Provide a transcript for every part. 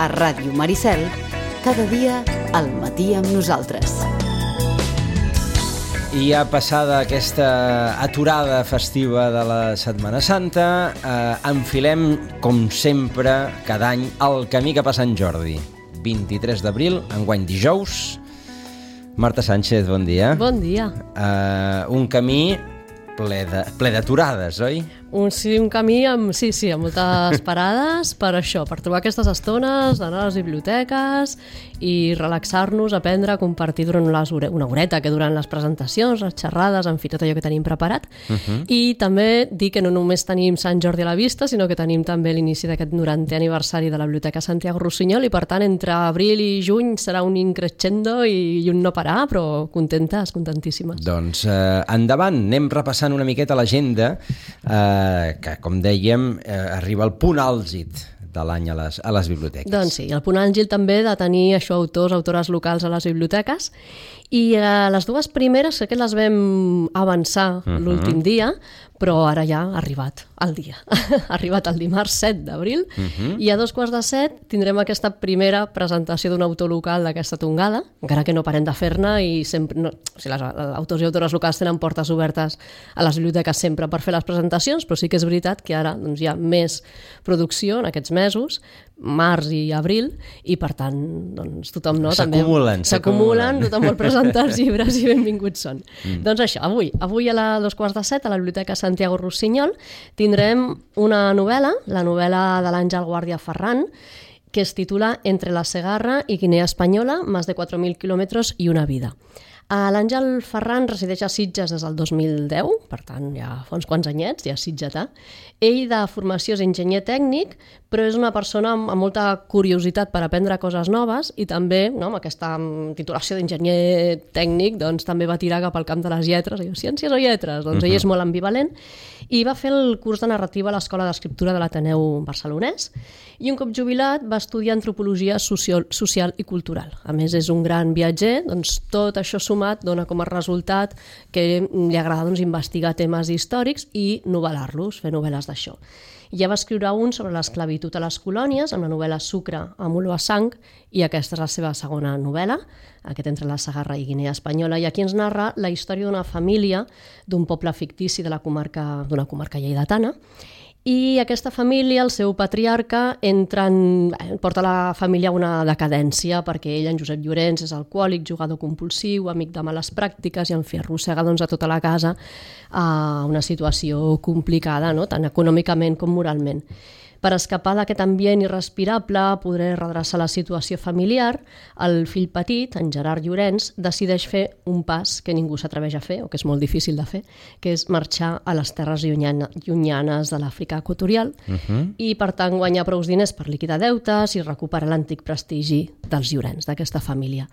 a Ràdio Maricel, cada dia al matí amb nosaltres. I ja passada aquesta aturada festiva de la Setmana Santa, enfilem, com sempre, cada any, el camí cap a Sant Jordi. 23 d'abril, enguany dijous. Marta Sánchez, bon dia. Bon dia. Un camí ple d'aturades, oi? Un camí amb moltes parades per això, per trobar aquestes estones, d'anar a les biblioteques i relaxar-nos, aprendre, compartir durant una horeta que duran les presentacions, les xerrades, en fi, tot allò que tenim preparat. I també dir que no només tenim Sant Jordi a la vista, sinó que tenim també l'inici d'aquest 90è aniversari de la Biblioteca Santiago Rossinyol i, per tant, entre abril i juny serà un increscendo i un no parar, però contentíssimes. Doncs endavant, anem repassant una miqueta l'agenda, que, com dèiem, arriba al punt àlgid de l'any a les biblioteques. Doncs sí, el punt àlgid també de tenir autores locals a les biblioteques, i les dues primeres sé que les vam avançar l'últim dia, però ara ja ha arribat el dia. Ha arribat el dimarts 7 d'abril i a 6:15 tindrem aquesta primera presentació d'un autor local d'aquesta tongada, encara que no parem de fer-ne, i sempre, els autors i autores locals tenen portes obertes a les biblioteques sempre per fer les presentacions, però sí que és veritat que ara hi ha més producció en aquests mesos, març i abril, i per tant tothom s'acumulen, tothom vol presentar els llibres i benvinguts són. Doncs això, avui a 6:15 a la Biblioteca Santiago Rossinyol tindrem una novel·la, la novel·la de l'Àngel Guàrdia Ferran, que es titula Entre la Segarra i Guinea Espanyola, más de 4.000 kilómetros y una vida. L'Àngel Ferran resideix a Sitges des del 2010, per tant ja fa uns quants anyets, ja és sitgetà. Ell de formació és enginyer tècnic, però és una persona amb molta curiositat per aprendre coses noves i també, amb aquesta titulació d'enginyer tècnic, també va tirar cap al camp de les lletres, ciències o lletres, ell és molt ambivalent, i va fer el curs de narrativa a l'Escola d'Escriptura de l'Ateneu Barcelonès, i un cop jubilat va estudiar antropologia social i cultural. A més, és un gran viatger, tot això sumat dona com a resultat que li agrada investigar temes històrics i novel·lar-los, fer novel·les d'això. Ja va escriure un sobre l'esclavitud a les colònies, amb la novel·la Sucre amb olor a sang, i aquesta és la seva segona novel·la, aquest Entre la Segarra i Guinea Espanyola, i aquí ens narra la història d'una família d'un poble fictici d'una comarca lleidatana. I aquesta família, el seu patriarca, porta la família a una decadència, perquè ell, en Josep Llorenç, és alcohòlic, jugador compulsiu, amic de males pràctiques, i en fi, arrossega a tota la casa a una situació complicada, tant econòmicament com moralment. Per escapar d'aquest ambient irrespirable, poder redreçar la situació familiar, el fill petit, en Gerard Llorenç, decideix fer un pas que ningú s'atreveix a fer, o que és molt difícil de fer, que és marxar a les terres llunyanes de l'Àfrica equatorial i, per tant, guanyar prou diners per liquidar deutes i recuperar l'antic prestigi dels Llorenç, d'aquesta família.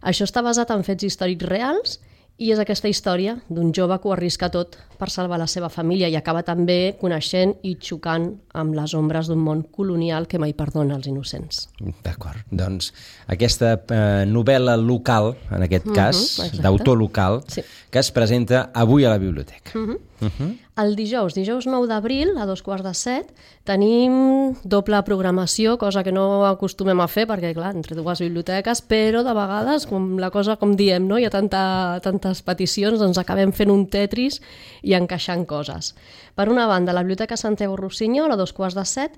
Això està basat en fets històrics reals, i és aquesta història d'un jove que ho arrisca tot per salvar la seva família i acaba també coneixent i xocant amb les ombres d'un món colonial que mai perdona els innocents. D'acord. Doncs aquesta novel·la local, en aquest cas, d'autor local, que es presenta avui a la biblioteca. El dijous 9 d'abril, a 6:15, tenim doble programació, cosa que no acostumem a fer, perquè, clar, entre dues biblioteques, però de vegades, la cosa, com diem, hi ha tantes peticions, doncs acabem fent un tetris i encaixant coses. Per una banda, a la Biblioteca Santiago Rossinyol, a 6:15,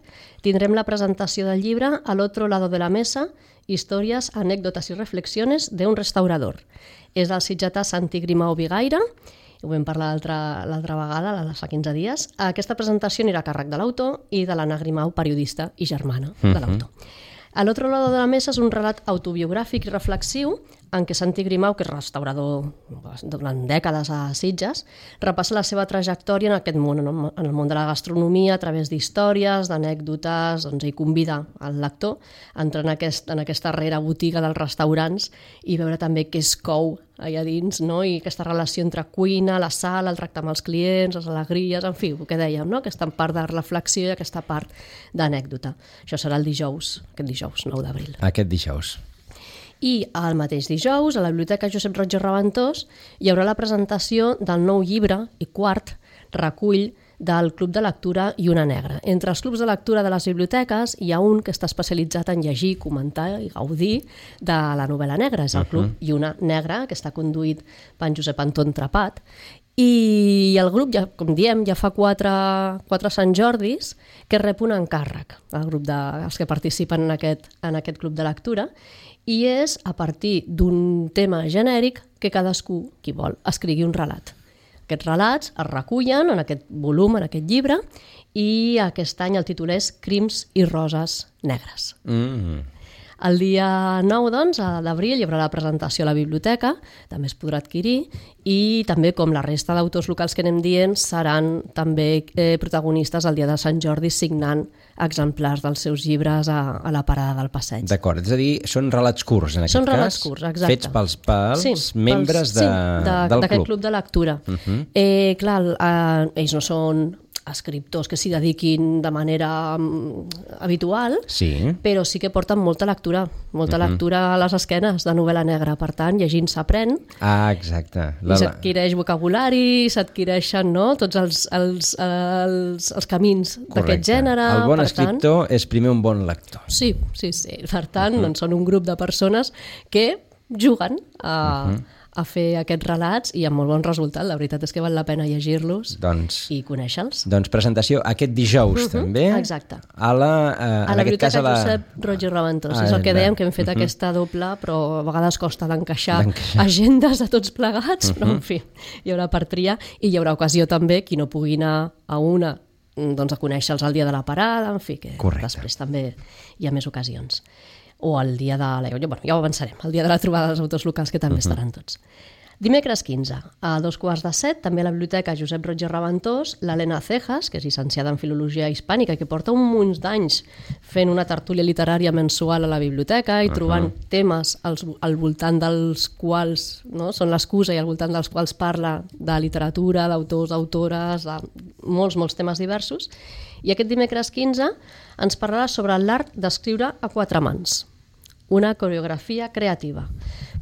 tindrem la presentació del llibre Al otro lado de la mesa, històries, anècdotes i reflexiones d'un restaurador. És del sitgetà Santi Grimau Vigaire, ho vam parlar l'altra vegada, fa 15 dies. Aquesta presentació anirà a càrrec de l'autor i de l'Anna Grimau, periodista i germana de l'autor. A l'altre lado de la mesa és un relat autobiogràfic i reflexiu en què Santi Grimau, que és restaurador durant dècades a Sitges, repassa la seva trajectòria en aquest món, en el món de la gastronomia, a través d'històries, d'anècdotes, i convida el lector a entrar en aquesta rere botiga dels restaurants i veure també què es cou allà dins, i aquesta relació entre cuina, la sala, el tracte amb els clients, les alegries, en fi, el que dèiem, aquesta part de reflexió i aquesta part d'anècdota. Això serà aquest dijous 9 d'abril. Aquest dijous. I el mateix dijous, a la Biblioteca Josep Roig i Raventós, hi haurà la presentació del nou llibre i quart recull del Club de Lectura Lluna Negra. Entre els clubs de lectura de les biblioteques hi ha un que està especialitzat en llegir, comentar i gaudir de la novel·la negra. És el Club Lluna Negra, que està conduït per en Josep Anton Trepat. I el grup, ja, com diem, ja fa quatre Sant Jordis que rep un encàrrec, el grup dels que participen en aquest club de lectura, i és a partir d'un tema genèric que cadascú, qui vol, escrigui un relat. Aquests relats es recullen en aquest volum, en aquest llibre, i aquest any el títol és Crims i roses negres. El dia 9, doncs, d'abril, hi haurà la presentació a la biblioteca, també es podrà adquirir, i també, com la resta d'autors locals que anem dient, seran també protagonistes el dia de Sant Jordi signant exemplars dels seus llibres a la parada del passeig. D'acord, és a dir, són relats curts, en aquest cas. Són relats curts, exacte. Fets pels membres del club. D'aquest club de lectura. Clar, ells no són escriptors que s'hi dediquin de manera habitual, però sí que porten molta lectura a les esquenes de novel·la negra. Per tant, llegint s'aprèn. Ah, exacte. I s'adquireix vocabulari, s'adquireixen tots els camins d'aquest gènere. El bon escriptor és primer un bon lector. Sí. Per tant, doncs són un grup de persones que juguen a fer aquests relats i amb molt bon resultat. La veritat és que val la pena llegir-los i conèixer-los. Doncs presentació aquest dijous també. Exacte. A la biblioteca Josep Roig i Raventós. És el que dèiem, que hem fet aquesta doble, però a vegades costa d'encaixar agendes de tots plegats, però en fi, hi haurà per triar i hi haurà ocasió també, qui no pugui anar a una, doncs a conèixer-los el dia de la parada, en fi, que després també hi ha més ocasions. O el dia de ja ho avançarem, el dia de la trobada dels autors locals, que també estaran tots. Dimecres 15, a 6:15, també a la biblioteca Josep Roig i Raventós, l'Helena Cejas, que és llicenciada en Filologia Hispànica i que porta un munt d'anys fent una tertúlia literària mensual a la biblioteca i trobant temes al voltant dels quals són l'excusa i al voltant dels quals parla de literatura, d'autors, autores, de molts temes diversos. I aquest dimecres 15 ens parlarà sobre l'art d'escriure a quatre mans, una coreografia creativa.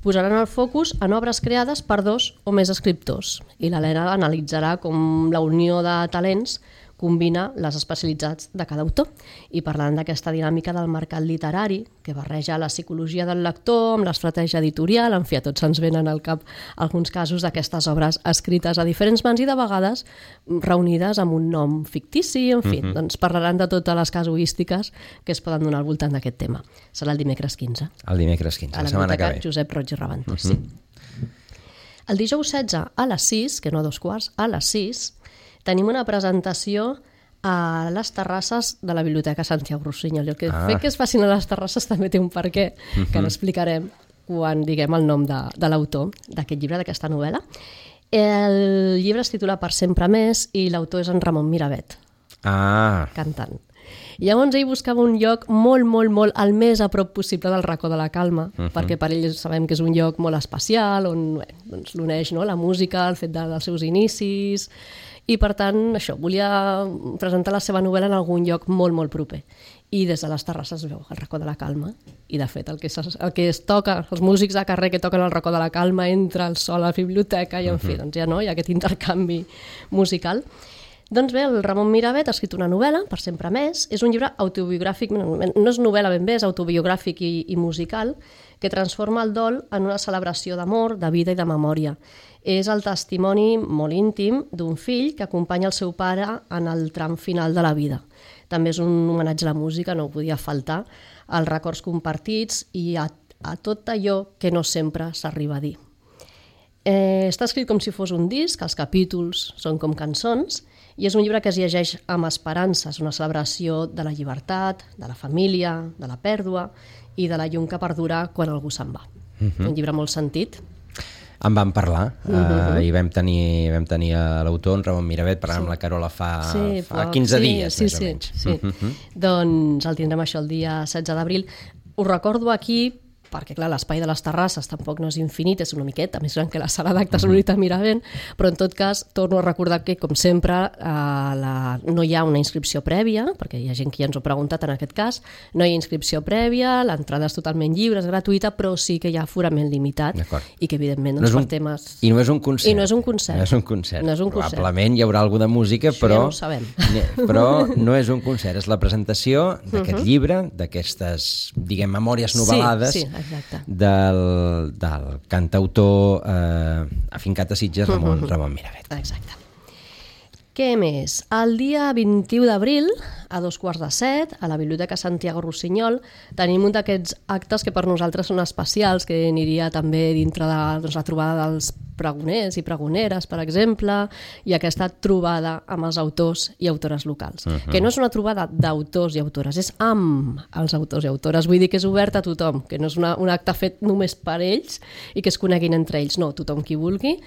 Posaran el focus en obres creades per dos o més escriptors i l'Helena analitzarà com la unió de talents combina les especialitats de cada autor i parlant d'aquesta dinàmica del mercat literari que barreja la psicologia del lector amb l'estratègia editorial. En fi, a tots ens venen al cap alguns casos d'aquestes obres escrites a diferents mans i de vegades reunides amb un nom fictici. En fi, doncs parlaran de totes les casuístiques que es poden donar al voltant d'aquest tema. Serà el dimecres 15. El dimecres 15, la setmana que ve. A la biblioteca Josep Roig i Raventós, sí. El dijous 16 a les 6, que no a 2:15, a les 6, tenim una presentació a les terrasses de la Biblioteca Santiago Rossinyol. I el que fet que es facin a les terrasses també té un perquè, que l'explicarem quan diguem el nom de l'autor d'aquest llibre, d'aquesta novel·la. El llibre es titula Per sempre més i l'autor és en Ramon Miravet, cantant. Llavors ell buscava un lloc molt el més a prop possible del racó de la Calma, perquè per ell sabem que és un lloc molt especial, on l'uneix la música, el fet dels seus inicis, i per tant això, volia presentar la seva novel·la en algun lloc molt proper. I des de les terrasses es veu el racó de la Calma, i de fet el que es toca, els músics de carrer que toquen el racó de la Calma, entra el sol a la biblioteca i en fi, doncs ja hi ha aquest intercanvi musical. Doncs bé, el Ramon Miravet ha escrit una novel·la, Per sempre més. És un llibre autobiogràfic, no és novel·la ben bé, és autobiogràfic i musical, que transforma el dol en una celebració d'amor, de vida i de memòria. És el testimoni molt íntim d'un fill que acompanya el seu pare en el tram final de la vida. També és un homenatge a la música, no podia faltar, als records compartits i a tot allò que no sempre s'arriba a dir. Està escrit com si fos un disc, els capítols són com cançons, i és un llibre que es llegeix amb esperança. És una celebració de la llibertat, de la família, de la pèrdua i de la llum que perdura quan algú se'n va. Un llibre molt sentit. En vam parlar i vam tenir l'autor, en Ramon Miravet, parlant amb la Carola fa 15 dies, més o menys. Doncs el tindrem això el dia 16 d'abril. Us recordo aquí perquè clar, l'espai de les terrasses tampoc no és infinit, és una miqueta més gran que la sala d'actes Lolita Miravent, però en tot cas torno a recordar que, com sempre, no hi ha una inscripció prèvia, perquè hi ha gent que ja ens ho ha preguntat en aquest cas, no hi ha inscripció prèvia, l'entrada és totalment lliure, és gratuïta, però sí que hi ha aforament limitat i que evidentment doncs, per temes... I no és un concert. I no és un concert. No és un concert. Probablement hi haurà alguna música, però... Ja ho sabem. Però no és un concert, és la presentació d'aquest llibre, d'aquestes, diguem, memòries novel·lades del cantautor afincat a Sitges, Ramon Miravet. Exacte. Què més? El dia 21 d'abril, a 6:15, a la Biblioteca Santiago Rossinyol, tenim un d'aquests actes que per nosaltres són especials, que aniria també dintre de la trobada dels pregoners i pregoneres, per exemple, i aquesta trobada amb els autors i autores locals. Que no és una trobada d'autors i autores, és amb els autors i autores. Vull dir que és obert a tothom, que no és un acte fet només per ells i que es coneguin entre ells. No, tothom qui vulgui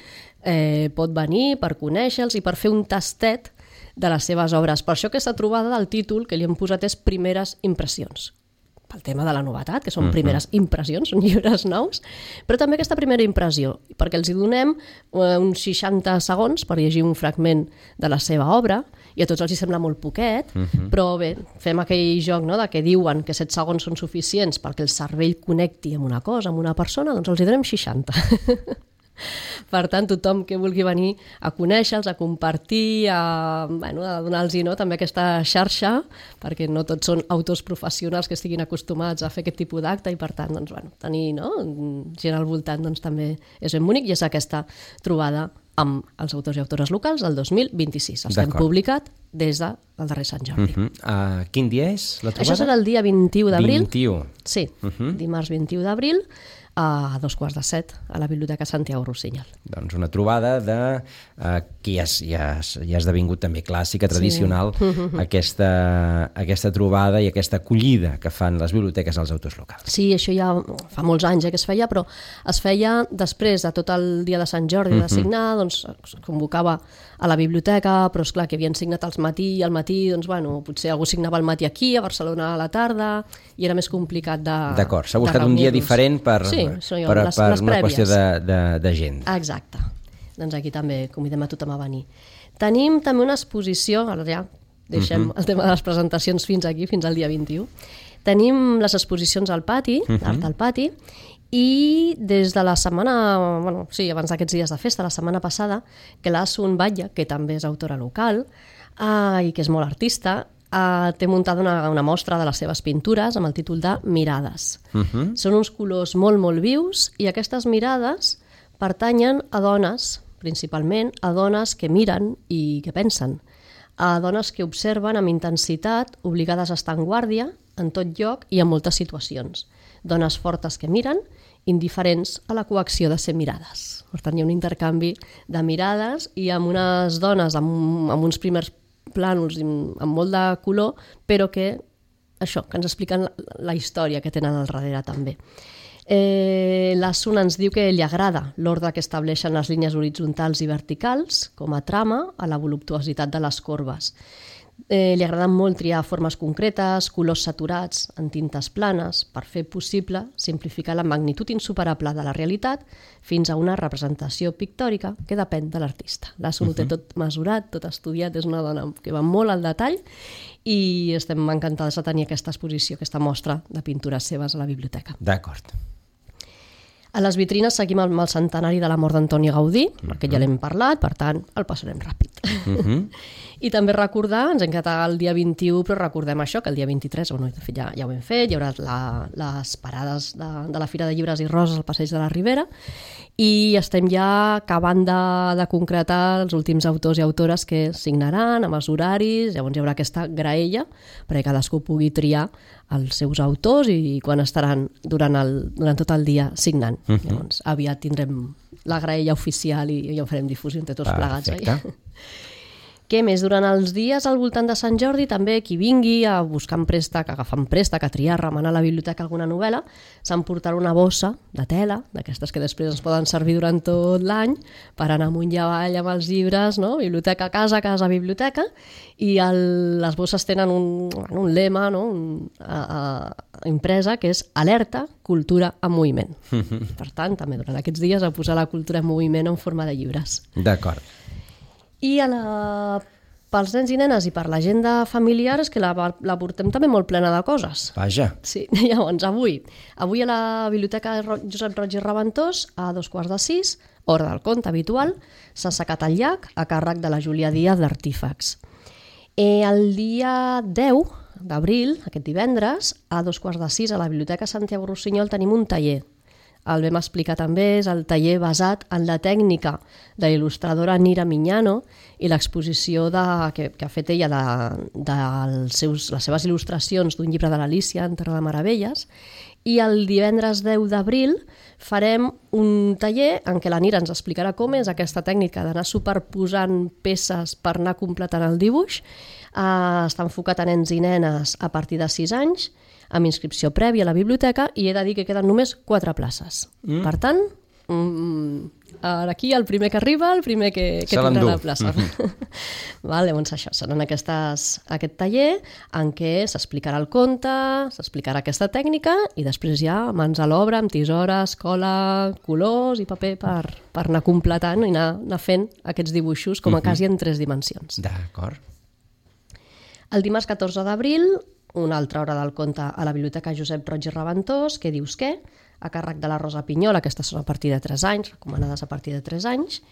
pot venir per conèixer-los i per fer un tastet de les seves obres. Per això aquesta trobada del títol que li hem posat és Primeres impressions. Pel tema de la novetat, que són primeres impressions, són llibres nous, però també aquesta primera impressió, perquè els hi donem uns 60 segons per llegir un fragment de la seva obra, i a tots els hi sembla molt poquet, però bé, fem aquell joc de que diuen que 7 segons són suficients perquè el cervell connecti amb una cosa, amb una persona, doncs els hi donem 60. Per tant, tothom que vulgui venir a conèixer-los, a compartir, a donar-los també aquesta xarxa, perquè no tots són autors professionals que estiguin acostumats a fer aquest tipus d'acte i per tant tenir gent al voltant també és ben bonic i és aquesta trobada amb els autors i autores locals el 2026. Els que hem publicat des del darrer Sant Jordi. Quin dia és la trobada? Això serà el dia 21 d'abril. 21. Sí, dimarts 21 d'abril, a 6:15 a la Biblioteca Santiago Rossinyol. Doncs una trobada que ja ha esdevingut també clàssica, tradicional, aquesta trobada i aquesta acollida que fan les biblioteques als autors locals. Sí, això ja fa molts anys que es feia, però es feia després de tot el dia de Sant Jordi de signar, doncs es convocava a la biblioteca, però és clar que havien signat al matí i al matí, doncs potser algú signava al matí aquí, a Barcelona a la tarda, i era més complicat de D'acord, s'ha buscat un dia diferent per una qüestió de gent. Exacte. Doncs aquí també convidem a tothom a venir. Tenim també una exposició, ara ja deixem el tema de les presentacions fins aquí, fins al dia 21. Tenim les exposicions al pati, d'art al pati, i des de la setmana, abans d'aquests dies de festa, la setmana passada, que l'Asun Batlle, que també és autora local i que és molt artista, té muntada una mostra de les seves pintures amb el títol de Mirades. Són uns colors molt, molt vius i aquestes mirades pertanyen a dones, principalment a dones que miren i que pensen, a dones que observen amb intensitat, obligades a estar en guàrdia, en tot lloc i en moltes situacions. Dones fortes que miren, indiferents a la coacció de ser mirades. Per tant, hi ha un intercanvi de mirades i amb unes dones amb uns primers plànols amb molt de color, però que ens expliquen la història que tenen al darrere també. L'Asun ens diu que li agrada l'ordre que estableixen les línies horitzontals i verticals com a trama a la voluptuositat de les corbes. Li agrada molt triar formes concretes, colors saturats en tintes planes, per fer possible simplificar la magnitud insuperable de la realitat fins a una representació pictòrica que depèn de l'artista. L'Asun ho té tot mesurat, tot estudiat, és una dona que va molt al detall i estem encantades de tenir aquesta exposició, aquesta mostra de pintures seves a la biblioteca. D'acord. A les vitrines seguim amb el centenari de la mort d'Antoni Gaudí, perquè ja l'hem parlat, per tant, el passarem ràpid. I també recordar, ens hem quedat el dia 21, però recordem això, que el dia 23, de fet ja ho hem fet, hi haurà les parades de la Fira de Llibres i Roses al Passeig de la Ribera, i estem ja acabant de concretar els últims autors i autores que signaran amb els horaris, llavors hi haurà aquesta graella perquè cadascú pugui triar els seus autors i quan estaran durant tot el dia signant. Llavors aviat tindrem la graella oficial i ja en farem difusió entre tots plegats. Què més? Durant els dies al voltant de Sant Jordi, també qui vingui a buscar en préstec, a agafar en préstec, a triar, a remenar a la biblioteca alguna novel·la, s'emportarà una bossa de tela, d'aquestes que després ens poden servir durant tot l'any, per anar amunt i avall amb els llibres, no? Biblioteca a casa, casa a biblioteca, i les bosses tenen un lema, no? impresa, que és Alerta, cultura en moviment. Per tant, també durant aquests dies a posar la cultura en moviment en forma de llibres. D'acord. I pels nens i nenes i per l'agenda familiar és que la portem també molt plena de coses. Vaja. Sí, llavors avui a la Biblioteca Josep Roig i Raventós, a 5:45, hora del conte habitual, s'ha assecat el llac a càrrec de la Júlia Díaz d'Artífax. El dia 10 d'abril, aquest divendres, a 5:45, a la Biblioteca Santiago Rossinyol tenim un taller. El vam explicar també, és el taller basat en la tècnica de l'il·lustradora Nira Miñano i l'exposició que ha fet ella de les seves il·lustracions d'un llibre de l'Alícia, en Terra de Meravelles, i el divendres 10 d'abril farem un taller en què la Nira ens explicarà com és aquesta tècnica d'anar superposant peces per anar completant el dibuix. Està enfocat a nens i nenes a partir de 6 anys, amb inscripció prèvia a la biblioteca, i he de dir que queden només 4 places. Per tant, aquí el primer que arriba, el primer que tindrà la plaça. Llavors això, serà aquest taller en què s'explicarà el conte, s'explicarà aquesta tècnica i després ja mans a l'obra amb tisores, cola, colors i paper per anar completant i anar fent aquests dibuixos com a quasi en 3 dimensions. D'acord. El dimarts 14 d'abril, una altra hora del conte a la Biblioteca Josep Roig i Raventós, Què dius què?, a càrrec de la Rosa Pinyol, aquestes són a partir de 3 anys, recomanades a partir de 3 anys.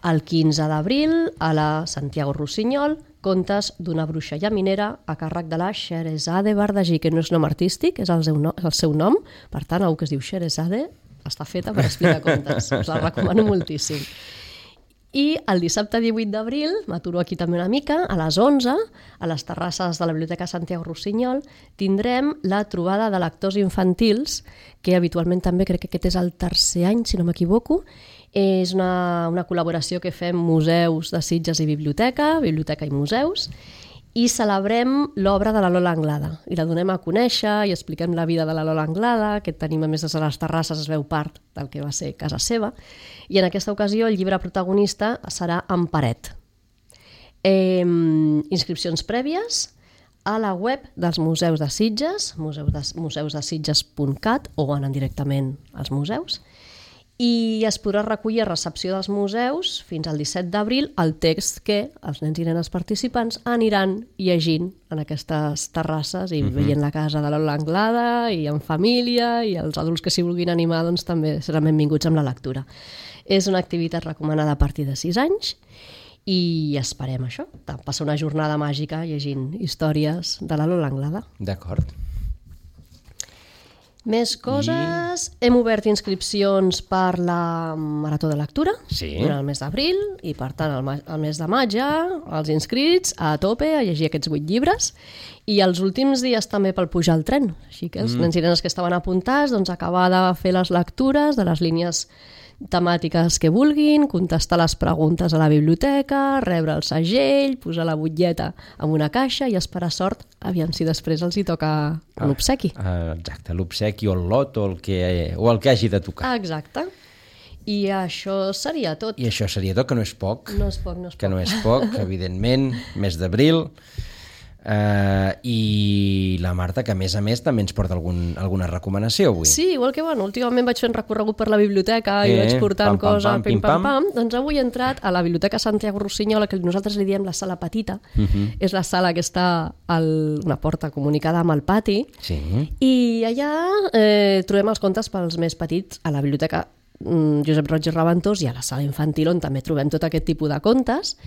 El 15 d'abril, a la Santiago Rossinyol, Contes d'una bruixa llaminera, a càrrec de la Xerezade Bardagí, que no és nom artístic, és el seu nom, per tant, algú que es diu Xerezade està feta per explicar contes, us la recomano moltíssim. I el dissabte 18 d'abril, m'aturo aquí també una mica, a les 11, a les terrasses de la Biblioteca Santiago Rossinyol, tindrem la trobada de lectors infantils, que habitualment també crec que aquest és el 3è any, si no m'equivoco. És una col·laboració que fem museus de Sitges i biblioteca i museus, i celebrem l'obra de la Lola Anglada i la donem a conèixer i expliquem la vida de la Lola Anglada, que tenim a més des de les terrasses, es veu part del que va ser casa seva, i en aquesta ocasió el llibre protagonista serà En Paret. Inscripcions prèvies a la web dels museus de Sitges, museusdesitges.cat, o anar directament als museus, i es podrà recollir a recepció dels museus fins al 17 d'abril el text que els nens i nenes participants aniran llegint en aquestes terrasses i veient la casa de la Lola Anglada i en família, i els adults que s'hi vulguin animar doncs, també seran benvinguts amb la lectura. És una activitat recomanada a partir de 6 anys i esperem això, passar una jornada màgica llegint històries de la Lola Anglada. D'acord. Més coses. Hem obert inscripcions per la Marató de Lectura durant el mes d'abril i, per tant, el mes de maig ja, els inscrits a tope a llegir aquests 8 llibres, i els últims dies també pel pujar al tren. Així que els nens i nenes que estaven apuntats, doncs acabar de fer les lectures de les línies temàtiques que vulguin, contestar les preguntes a la biblioteca, rebre el segell, posar la butlleta en una caixa i esperar sort, aviam si després els hi toca l'obsequi. Exacte, l'obsequi o el lot o el que hagi de tocar. Exacte. I això seria tot. I això seria tot, que no és poc. No és poc, no és poc. Que no és poc, evidentment, mes d'abril. I la Marta, que a més també ens porta alguna recomanació avui. Sí, igual que últimament vaig fent recorregut per la biblioteca i vaig portant coses, pim-pam-pam, doncs avui he entrat a la Biblioteca Santiago Rossinyol, que nosaltres li diem la sala petita. És la sala que està a una porta comunicada amb el pati, i allà trobem els contes pels més petits a la Biblioteca Josep Roig i Raventós i a la sala infantil, on també trobem tot aquest tipus de contes,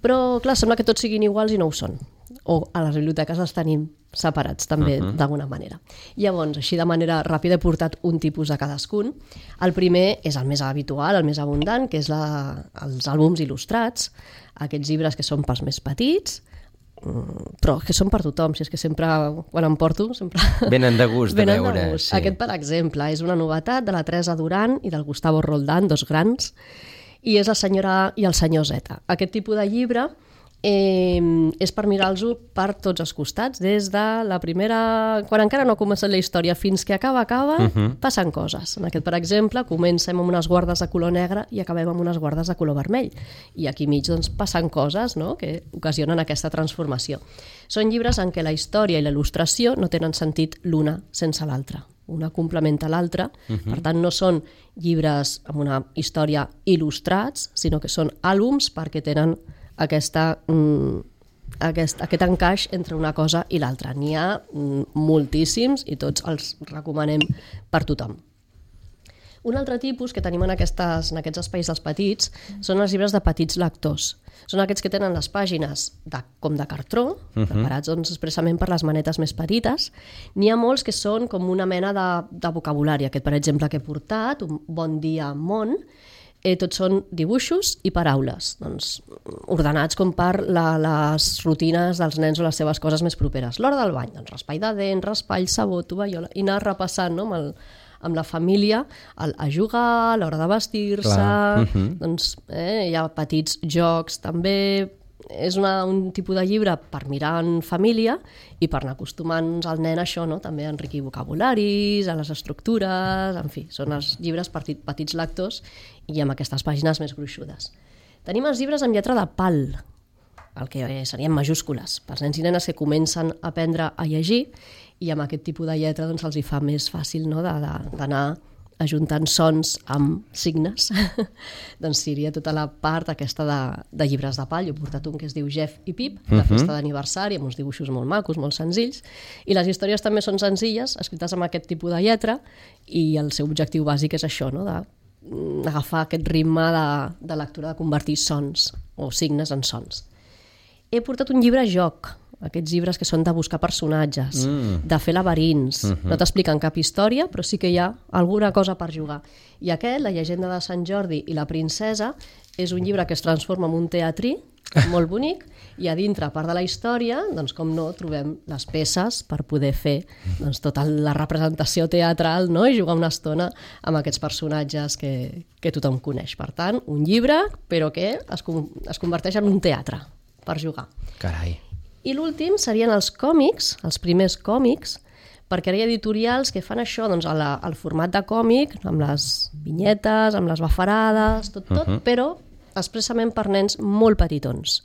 però clar, sembla que tots siguin iguals i no ho són. O a les biblioteques els tenim separats també d'alguna manera. Llavors, així de manera ràpida he portat un tipus de cadascun. El primer és el més habitual, el més abundant, que és els àlbums il·lustrats, aquests llibres que són pels més petits, però que són per tothom, si és que sempre, quan em porto, sempre... Venen de gust de veure. Sí. Aquest, per exemple, és una novetat de la Teresa Duran i del Gustavo Roldán, dos grans, i és La senyora i el senyor Zeta. Aquest tipus de llibre és per mirar-los per tots els costats, des de la primera... Quan encara no ha començat la història fins que acaba, passen coses. En aquest, per exemple, comencem amb unes guardes de color negre i acabem amb unes guardes de color vermell. I aquí mig doncs, passen coses, no?, que ocasionen aquesta transformació. Són llibres en què la història i la il·lustració no tenen sentit l'una sense l'altra. Una complementa l'altra, per tant no són llibres amb una història il·lustrats, sinó que són àlbums perquè tenen aquest encaix entre una cosa i l'altra. N'hi ha moltíssims i tots els recomanem per tothom. Un altre tipus que tenim en aquests espais dels petits són els llibres de petits lectors. Són aquests que tenen les pàgines com de cartró, preparats doncs, expressament per les manetes més petites. N'hi ha molts que són com una mena de vocabulari. Aquest, per exemple, que he portat, un bon dia món, tots són dibuixos i paraules, doncs, ordenats com per les rutines dels nens o les seves coses més properes. L'hora del bany, doncs, raspall de dent, raspall, sabó, tovallola, i anar repassant, no?, amb la família a jugar, a l'hora de vestir-se, doncs, hi ha petits jocs també. És un tipus de llibre per mirar en família i per anar acostumant al nen a això, no?, també a enriquir vocabularis, a les estructures, en fi, són els llibres per petits lectors i amb aquestes pàgines més gruixudes. Tenim els llibres amb lletra de pal, el que serien majúscules, pels nens i nenes que comencen a aprendre a llegir, i amb aquest tipus de lletra doncs, els hi fa més fàcil, no?, d'anar ajuntant sons amb signes. Doncs seria tota la part aquesta de llibres de pal. Jo he portat un que es diu Jeff i Pip, de festa d'aniversari, amb uns dibuixos molt macos, molt senzills, i les històries també són senzilles, escrites amb aquest tipus de lletra, i el seu objectiu bàsic és això, no?, d'agafar aquest ritme de lectura, de convertir sons o signes en sons. He portat un llibre joc, aquests llibres que són de buscar personatges, de fer laberints, no t'expliquen cap història, però sí que hi ha alguna cosa per jugar. I aquest, La llegenda de Sant Jordi i la princesa, és un llibre que es transforma en un teatrí, molt bonic, i a dintre, a part de la història, doncs com no, trobem les peces per poder fer doncs, tota la representació teatral, no?, i jugar una estona amb aquests personatges que tothom coneix. Per tant, un llibre, però que es converteix en un teatre per jugar. Carai. I l'últim serien els còmics, els primers còmics, perquè ara hi ha editorials que fan això doncs, al format de còmic, amb les vinyetes, amb les bafarades, tot, però expressament per nens molt petitons.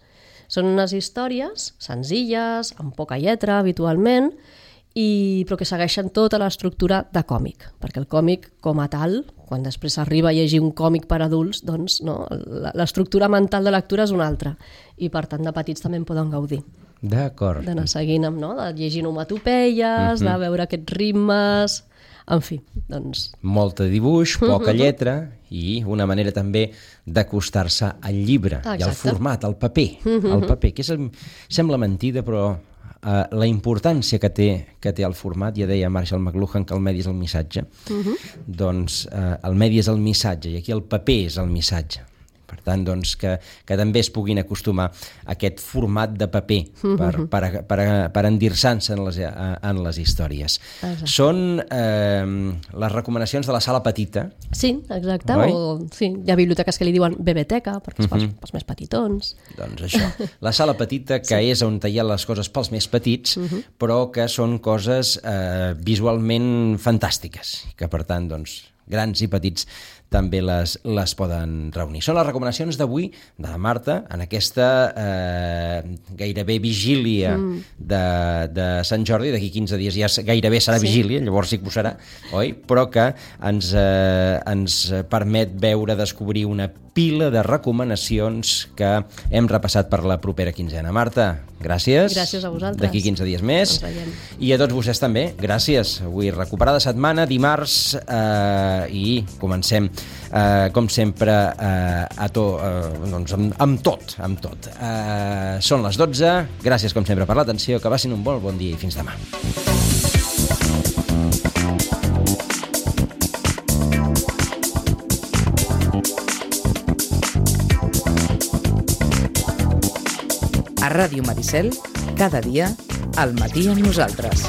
Són unes històries senzilles, amb poca lletra habitualment, però que segueixen tota l'estructura de còmic, perquè el còmic com a tal, quan després arriba a llegir un còmic per adults, doncs no, l'estructura mental de lectura és una altra, i per tant de petits també en poden gaudir. D'acord. D'anar seguint, no?, de llegir onomatopeies, de veure aquests ritmes, en fi, doncs... Molt de dibuix, poca lletra i una manera també d'acostar-se al llibre i al format, al paper. El paper, que sembla mentida, però la importància que té el format, ja deia Marshall McLuhan que el medi és el missatge, doncs el medi és el missatge i aquí el paper és el missatge. Per tant, doncs, que també es puguin acostumar a aquest format de paper per endinsar-se en les històries. Exacte. Són les recomanacions de la sala petita. Sí, exacte. Sí, hi ha biblioteques que li diuen biblioteca, perquè és pels més petitons. Doncs això, la sala petita, que és on hi ha les coses pels més petits, però que són coses visualment fantàstiques, que per tant, doncs, grans i petits també les poden reunir. Són les recomanacions d'avui de la Marta en aquesta gairebé vigília de Sant Jordi. D'aquí 15 dies ja gairebé serà vigília, llavors sí que ho serà, oi? Però que ens permet veure, descobrir una pila de recomanacions que hem repassat per la propera quinzena. Marta, gràcies. Gràcies a vosaltres. D'aquí 15 dies més. I a tots vostès també, gràcies. Avui recuperada setmana, dimarts, i comencem, com sempre, amb tot. Són les 12. Gràcies, com sempre, per l'atenció. Que passin un bon dia i fins demà. A Ràdio Maricel, cada dia, al matí amb nosaltres.